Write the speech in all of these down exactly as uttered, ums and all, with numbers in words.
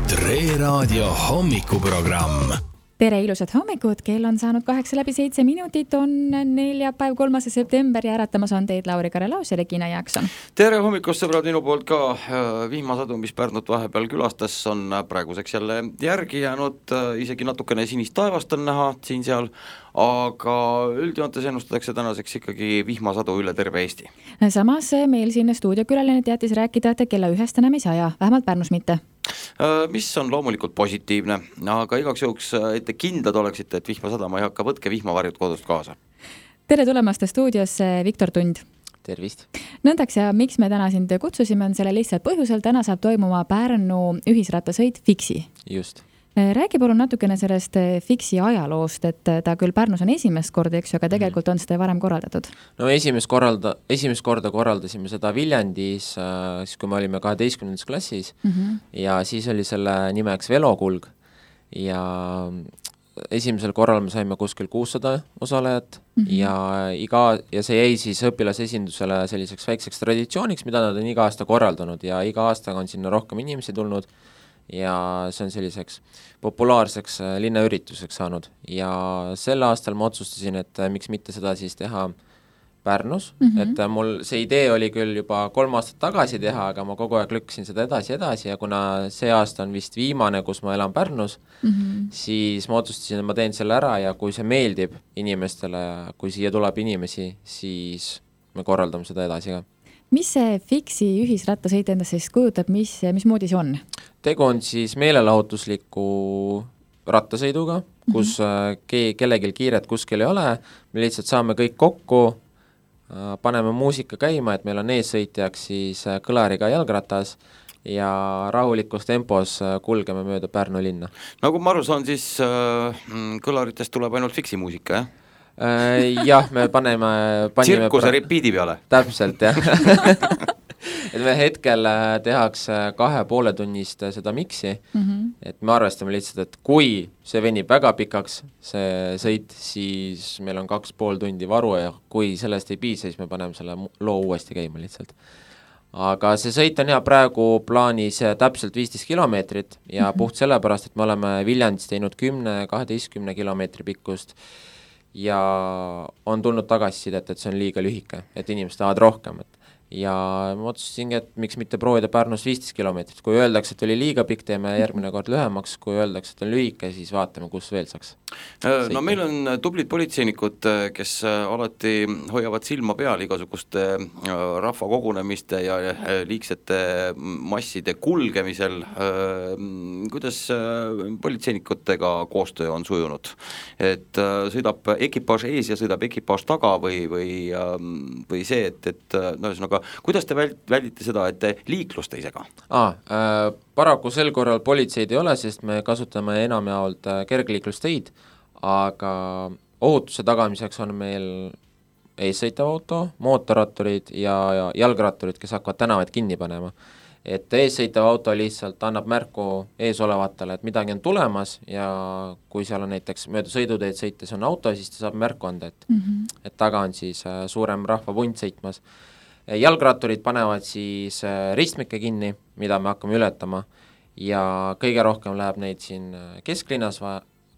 Tre Raadio hommikuprogramm. Tere, ilusad hommikud, kell on saanud kaheksa läbi seitse minutit, on neljapäev, kolmas september ja äratamas on teid Lauri Karelaus ja Regina Jaakson. Tere hommikust, sõbrad, minu poolt ka. Vihmasadu, mis Pärnut vahepeal külastas, on praeguseks jälle järgi jäänud, isegi natukene sinist taevast on näha siin-seal, aga üldjoontes ennustatakse tänaseks ikkagi vihmasadu üle terve Eesti. Samas meil siin stuudiokülaline teatis rääkida, et kella ühest enam ei saja, vähemalt Pärnus mitte. Mis on loomulikult positiivne, aga igaks juhuks, et te kindlad oleksite, et vihma sadama ei hakka, võtke vihmavarjud kodust kaasa. Tere tulemast stuudiosse, Viktor Tund. Tervist. Nõndaks ja miks me täna sind kutsusime, on selle lihtsalt põhjusel, täna saab toimuma Pärnu ühisrattasõit Fixi. Just. Räägi palun natukene sellest Fixi ajaloost, et ta küll Pärnus on esimest korda, eks ju, aga tegelikult on seda varem korraldatud. No esimest, korralda, esimest korda korraldasime seda Viljandis, siis kui me olime kaheteistkümnendas klassis mm -hmm. ja siis oli selle nimeks Velokulg ja esimesel korral me saime kuskil kuussada osalejat mm -hmm. ja, iga, ja see jäi siis õpilasesindusele selliseks väikseks traditsiooniks, mida nad on iga aasta korraldanud ja iga aastaga on sinna rohkem inimesi tulnud ja see on selliseks populaarseks linnaürituseks saanud ja sel aastal ma otsustasin, et miks mitte seda siis teha Pärnus mm, -hmm. et mul see idee oli küll juba kolm aastat tagasi teha, aga ma kogu aeg lükkasin seda edasi edasi ja kuna see aasta on vist viimane, kus ma elan Pärnus mm, -hmm. siis ma otsustasin, et ma teen selle ära ja kui see meeldib inimestele, kui siia tuleb inimesi, siis me korraldame seda edasi ka. Mis see Fixi ühisrattasõit endast siis kujutab, mis, mis moodi see on? Tegu on siis meelelahutusliku rattasõiduga, kus mm-hmm. ke- kellegil kiiret kuskil ei ole, me lihtsalt saame kõik kokku, paneme muusika käima, et meil on eessõitjaks siis kõlariga jalgratas ja rahulikus tempos kulgeme mööda Pärnu linna. Nagu ma aru saan, siis äh, kõlaritest tuleb ainult Fixi muusika, jah? Jah, me paneme... panime tsirkuse pra... repiidi peale. Täpselt, jah. et me hetkel tehakse kahe poole tunnist seda miksi, mm -hmm. et me arvestame lihtsalt, et kui see venib väga pikaks, see sõit, siis meil on kaks pool tundi varu ja kui sellest ei piisa, siis me paneme selle loo uuesti käima lihtsalt. Aga see sõit on hea praegu plaanis täpselt viisteist kilomeetrit ja mm -hmm. puht sellepärast, et me oleme Viljandis teinud kümne kaheteistkümne kilomeetri pikkust ja on tulnud tagasisidet, et see on liiga lühike, et inimesed tahavad rohkem. Et ja ma otsustasingi, et miks mitte proovida Pärnus viisteist kilomeetrit. Kui öeldakse, et oli liiga pikk, teeme järgmine kord lühemaks, kui öeldakse, et on lühike, siis vaatame, kus veel saaks. No meil on tublid politseinikud, kes alati hoiavad silma peal igasuguste rahva kogunemiste ja liigsete masside kulgemisel. Kuidas politseinikutega koostöö on sujunud? Et sõidab ekipaaž ees ja sõidab ekipaaž taga või, või, või see, et, et no ühesõnaga, kuidas te väldite seda, et te liiklust ei sega? Ah, äh, paraku sel korral politseid ei ole, sest me kasutame enamjaolt kergliiklusteid, aga ohutuse tagamiseks on meil eessõitav auto, mootorratturid ja, ja jalgratturid, kes hakkavad tänavaid kinni panema. Et eessõitav auto lihtsalt annab märku eesolevatele, et midagi on tulemas ja kui seal on näiteks mööda sõiduteed sõites on auto, siis ta saab märku anda, et, mm -hmm. et taga on siis suurem rahvapunt sõitmas. Jalgratturid panevad siis ristmikke kinni, mida me hakkame ületama ja kõige rohkem läheb neid siin kesklinnas,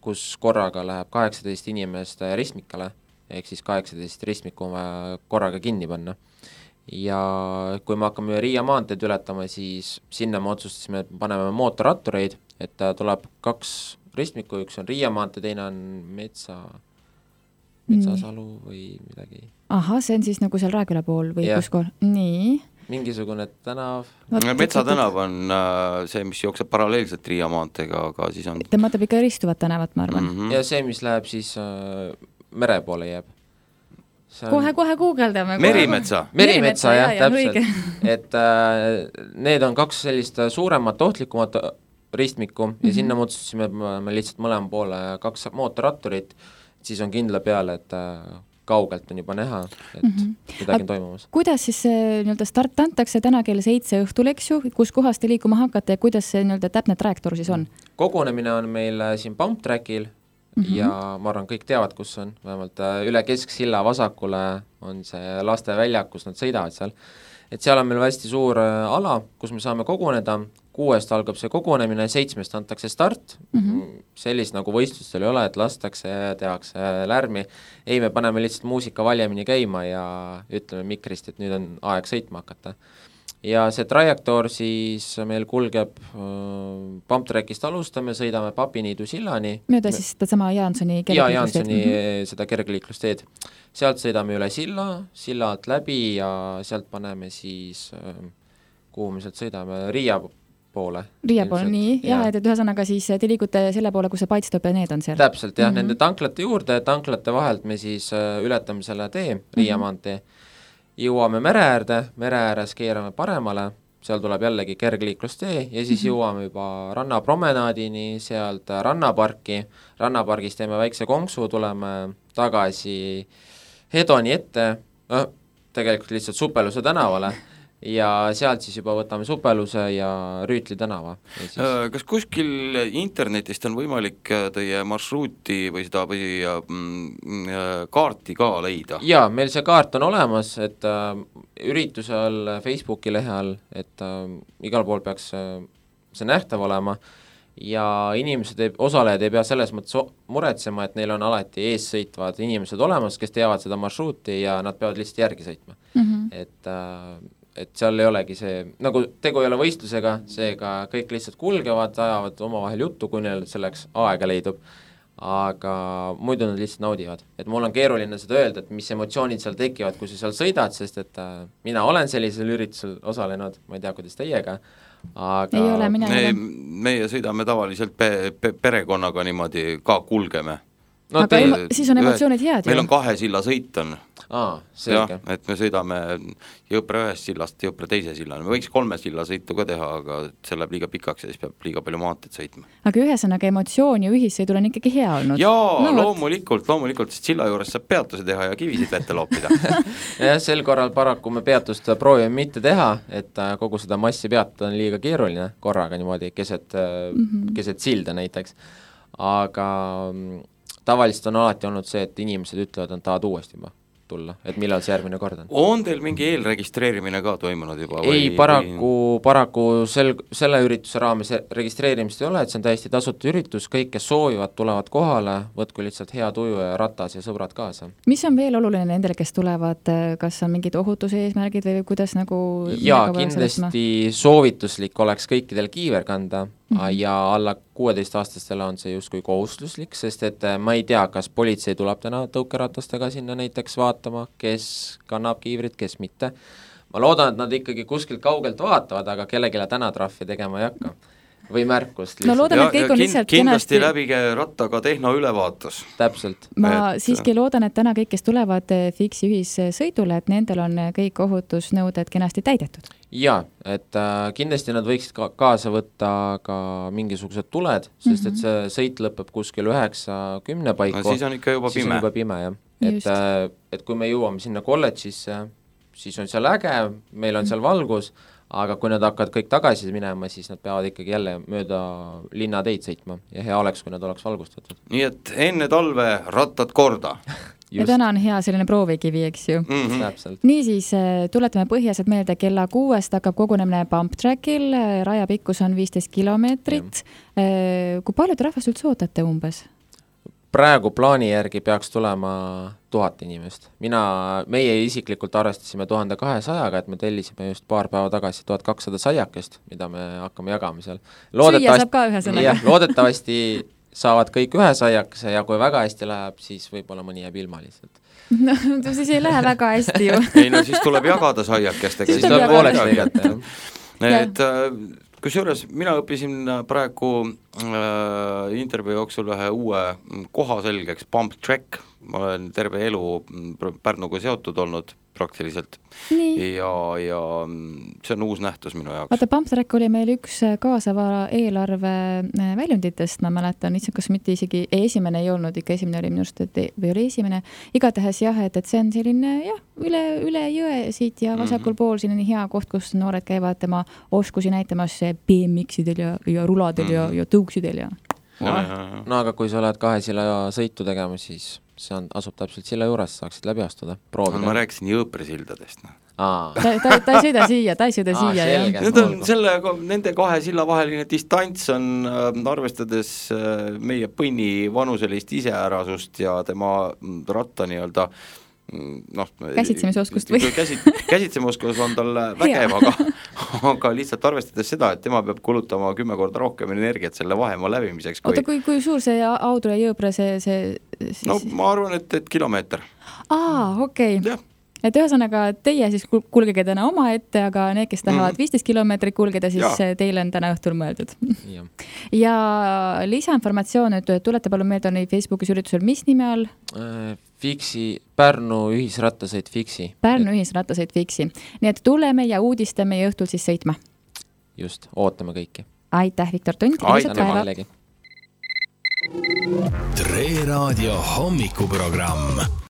kus korraga läheb kaheksateist inimest ristmikale, ehk siis kaheksateist ristmikku korraga kinni panna. Ja kui me hakkame Riia maanteed ületama, siis sinna me otsustasime, et paneme mootorrattureid, et tuleb kaks ristmikku, üks on Riia maantee, teine on Metsa... Metsasalu või midagi. Aha, see on siis nagu seal Rääküla pool või kus kool? Nii. Mingisugune tänav. Metsatänav on see, mis jookseb paralleelselt Riia maanteega, aga siis on... Ta mõtleb ikka ristuvat tänavat, ma arvan. Mm -hmm. Ja see, mis läheb siis äh, mere poole jääb. On... Kohe, kohe guugeldame. Merimetsa. Merimetsa, jah, ja, täpselt. Et äh, need on kaks sellist suuremat, ohtlikumat ristmikku mm -hmm. ja sinna mõtsustasime, et me lihtsalt mõlema poole kaks mootorratturit, siis on kindla peale, et kaugelt on juba näha, et mm -hmm. midagi on toimumas. Kuidas siis nii-öelda start antakse täna kell seitse õhtul, eks ju, kus kohast te liikuma hakkate ja kuidas see nii-öelda täpne trajektoor siis on? Kogunemine on meil siin Pump Trackil mm -hmm. ja ma arvan, kõik teavad, kus on, vähemalt üle Kesksilla vasakule on see lasteväljak, kus nad sõidavad seal et seal on meil hästi suur ala, kus me saame koguneda, kuuest algab see kogunemine, seitsmest antakse start, mm-hmm. sellist nagu võistlustel ei ole, et lastakse ja tehakse lärmi, ei, me paneme lihtsalt muusika valjemini käima ja ütleme mikrist, et nüüd on aeg sõitma hakata. Ja see trajektoor siis meil kulgeb äh, pumptrackist alustame, sõidame Papiniidu sillani. Mööda siis seda sama Jaansoni kergliiklusteed? Ja, Jaansoni mm-hmm. seda kergliiklusteed. Sealt sõidame üle silla, silla alt läbi ja sealt paneme siis, äh, kuhu me sealt sõidame, Riia poole. Riia poole, nii, ja, ja et ühesõnaga siis te liigute selle poole, kus see Paitstop ja need on seal. Täpselt, jah, mm-hmm. nende tanklate juurde, tanklate vahelt me siis ületame selle tee, Riia mm-hmm. maantee, jõuame mere äärde, mere ääres keerame paremale, seal tuleb jällegi kergliiklustee ja siis mm-hmm. jõuame juba rannapromenaadini, sealt rannaparki, rannapargis teeme väikse konksu, tuleme tagasi Hedoni ette, äh, tegelikult lihtsalt Supeluse tänavale, ja sealt siis juba võtame Supeluse ja Rüütli tänava. Ja siis... Kas kuskil internetist on võimalik teie marsruuti või seda või mm, kaarti ka leida? Jaa, meil see kaart on olemas, et äh, ürituse all, Facebooki lehe all, et äh, igal pool peaks äh, see nähtav olema ja inimesed, ei, osalejad ei pea selles mõttes muretsema, et neil on alati ees sõitvad inimesed olemas, kes teavad seda marsruuti ja nad peavad lihtsalt järgi sõitma. Mm-hmm. Et äh, et seal ei olegi see, nagu tegu ei ole võistlusega, seega kõik lihtsalt kulgevad, ajavad omavahel juttu, kui neil selleks aega leidub, aga muidu nad lihtsalt naudivad. Et mul on keeruline seda öelda, et mis emotsioonid seal tekivad, kui sa seal sõidad, sest et äh, mina olen sellisel üritusel osalenud, ma ei tea, kuidas teiega, aga ei ole, mina me, meie sõidame tavaliselt pe- pe- perekonnaga niimoodi ka kulgeme. No, aga te, emo- siis on emotsioonid head. Meil on kahe silla sõit on. Aa, selge. Ja, et me sõidame Jõpre ühest sillast Jõpre teise sillani. Me võiks kolme silla sõitu ka teha, aga see läheb liiga pikaks ja siis peab liiga palju maanteed sõitma. Aga ühesõnaga emotsioon ja ühissõidul on ikkagi hea olnud. Jaa, no, loomulikult, loomulikult, sest silla juures saab peatuse teha ja kivisid vette loopida. ja sel korral paraku me peatust proovime mitte teha, et kogu seda massi peatada on liiga keeruline korraga niimoodi keset, mm-hmm. keset silda näiteks. Aga tavaliselt on alati olnud see, et inimesed ütlevad, et tahavad uuesti juba tulla, et millal see järgmine kord on. On teil mingi eelregistreerimine ka toimunud juba? Ei, või, paraku, või... paraku sel, selle ürituse raames registreerimist ei ole, et see on täiesti tasuta üritus, kõik, kes soovivad, tulevad kohale, võtku lihtsalt hea tuju ja ratas ja sõbrad kaasa. Mis on veel oluline nendele, kes tulevad, kas on mingid ohutuse eesmärgid või kuidas nagu... Jaa, kindlasti soovituslik oleks kõikidel kiiver kanda, mm-hmm. ja alla kuueteistaastastele on see justkui kohustuslik, sest et ma ei tea, kas politsei tuleb täna tõukeratastega sinna näiteks vaatama, kes kannab kiivrit, kes mitte. Ma loodan, et nad ikkagi kuskilt kaugelt vaatavad, aga kellegile täna trahvi tegema ei hakka. Või märkust lihtsalt. No loodan, et kõik on lihtsalt kindlasti kenasti... läbige rattaga tehnoülevaatus. Täpselt. Ma et... siiski loodan, et täna kõik, kes tulevad Fiksi ühissõidule, et nendel on kõik ohutusnõuded kenasti täidetud. Jaa, et äh, kindlasti nad võiksid ka kaasa võtta ka mingisugused tuled, sest mm-hmm. et see sõit lõpeb kuskil üheksa kümne paiku. No siis on ikka juba siis pime. On juba pime, jah. Et, äh, et kui me jõuame sinna kolledžisse, siis on seal äge, meil on seal valgus, aga kui nad hakkavad kõik tagasi minema, siis nad peavad ikkagi jälle mööda linnateid sõitma ja hea oleks, kui nad oleks valgustatud. Nii et enne talve rattad korda. ja täna on hea selline proovikivi, eks ju. Mm-hmm. Täpselt. Niisiis, tuletame põhjased meelde, kella kuuest hakkab kogunemine Pump Trackil, rajapikkus on viisteist kilomeetrit. Kui palju te rahvast üldse ootate umbes? Praegu plaani järgi peaks tulema tuhat inimest. Mina, meie isiklikult arvestasime tuhande kahesajaga, et me tellisime just paar päeva tagasi tuhat kakssada saiakest, mida me hakkame jagama seal. Süüa saab ka ühe sõnaga. Jah, loodetavasti saavad kõik ühe saiakese ja kui väga hästi läheb, siis võib-olla mõni jääb ilma lihtsalt. No, siis ei lähe väga hästi ju. ei no siis tuleb jagada saiakestega. Siis tuleb pooleks lõigata, jah. Et kusjuures mina õppisin praegu äh, intervjuu jooksul ühe uue koha selgeks, Pump Track, ma olen terve elu Pärnuga seotud olnud praktiliselt. Nii. ja, ja see on uus nähtus minu jaoks. Vaata, Pump Track oli meil üks kaasava eelarve väljunditest, ma mäletan, kas mitte isegi esimene ei olnud, ikka esimene oli minust, et või oli esimene, igatahes jah, et, et see on selline jah, üle, üle jõe siit ja vasakul mm-hmm. pool siin on hea koht, kus noored käivad tema oskusi näitamas B M X-idel ja, ja ruladel mm-hmm. ja, ja tõuksidel ja no, no aga kui sa oled kahe silla sõitu tegema, siis see on, asub täpselt silla juures, saaksid läbi astuda, proovida. No, ma rääkisin Jõõpre sildadest. No. Aa. ta, ta, ta ei sõida siia, ta ei sõida Aa, siia. selge. Need on selle, nende kahe silla vaheline distants on äh, arvestades äh, meie põnni vanuselist iseärasust ja tema ratta nii-öelda noh, käsitsemisoskust või? Käsit, käsitsemisoskus on tal vägev, aga, aga lihtsalt arvestades seda, et tema peab kulutama kümme korda rohkem energiat selle vahemaa läbimiseks. Kui... Oota, kui, kui suur see Audru ja Jõõbre see, see siis... No ma arvan, et, et kilomeeter. Aa, okei okay. Jah. Et ühesõnaga teie siis kulgege täna oma ette, aga need, kes tahavad viisteist kilomeetrit kulgeda, siis ja. Teile on täna õhtul mõeldud. Ja, ja lisainformatsioon, et tulete palun meelde on Facebookis üritusel, mis nime all? Fiksi, Pärnu ühisrattasõit Fiksi. Pärnu ühisrattasõit Fiksi. Nii et tuleme ja uudistame ja õhtul siis sõitma. Just, ootame kõiki. Aitäh, Viktor Tunt. Aitäh. Tre Raadio hommikuprogramm.